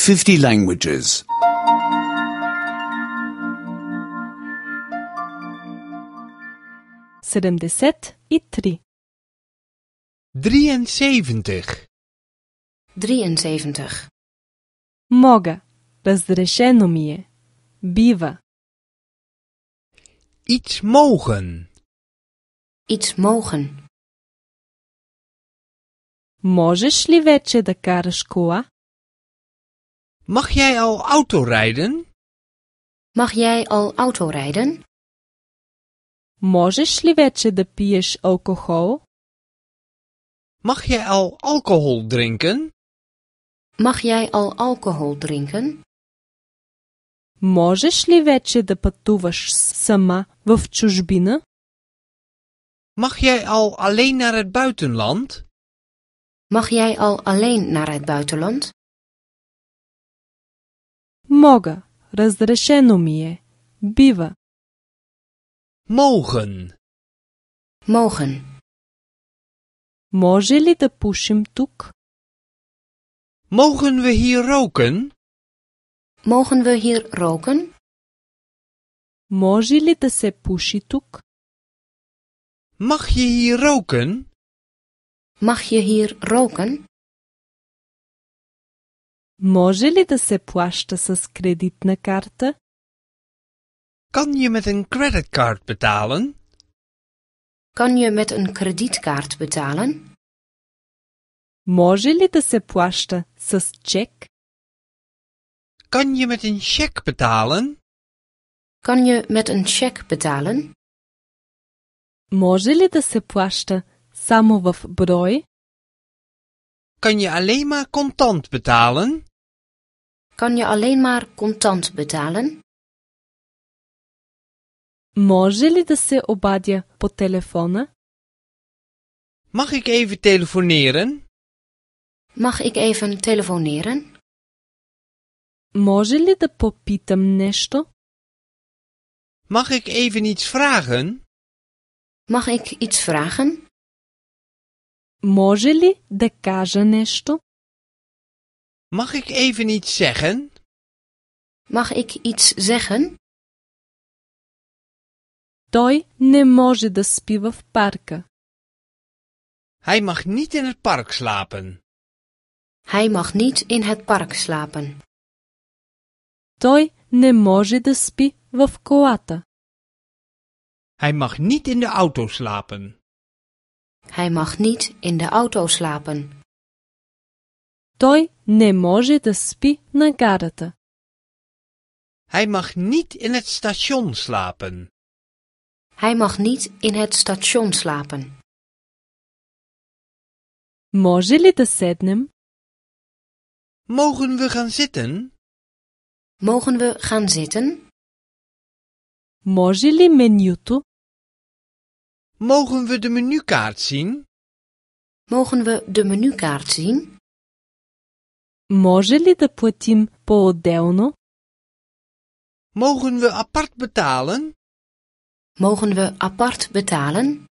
50 languages. 73. 73. 73. Мога. Разрешено ми е. Бива. Iets mogen. Iets mogen. Можеш ли вече да караш кола? Mag jij al autorijden? Mag jij al autorijden? Можеш ли вече да пиеш алкохол? Mag jij al alcohol drinken? Mag jij al alcohol drinken? Можеш ли вече да пътуваш сама в чужбина? Mag jij al alleen naar het buitenland? Mag jij al alleen naar het buitenland? Мога. Разрешено ми е. Бива. Mogen. Mogen. Може ли да пушим тук? Mogen we hier roken? Mogen we hier roken? Може ли да се пуши тук? Mag je hier roken? Mag je hier roken? Може ли да се плаща с кредитна карта? Kan je met een creditcard betalen? Kan je met een kredietkaart betalen? Може ли да се плаща с чек? Kan je met een cheque betalen? Kan je met een cheque betalen? Може ли да се плаща само в брой? Kan je alleen maar contant betalen? Kan je alleen maar contant betalen? Може ли да се обадя по телефона? Mag ik even telefoneren? Mag ik even telefoneren? Може ли да попитам нещо? Mag ik even iets vragen? Mag ik iets vragen? Може ли да кажа нещо? Mag ik even iets zeggen? Mag ik iets zeggen? Той не може да спи в парка. Hij mag niet in het park slapen. Hij mag niet in het park slapen. Той не може да спи в колата. Hij mag niet in de auto slapen. Hij mag niet in de auto slapen. Той не може да спи на гарата. Hij mag niet in het station slapen. Hij mag niet in het station slapen. Може ли да седнем? Mogen we gaan zitten? Mogen we gaan zitten? Може ли менюто? Mogen we de menukaart zien? Mogen we de menukaart zien? Може ли да платим по-отделно? Mogen we apart betalen? Mogen we apart betalen?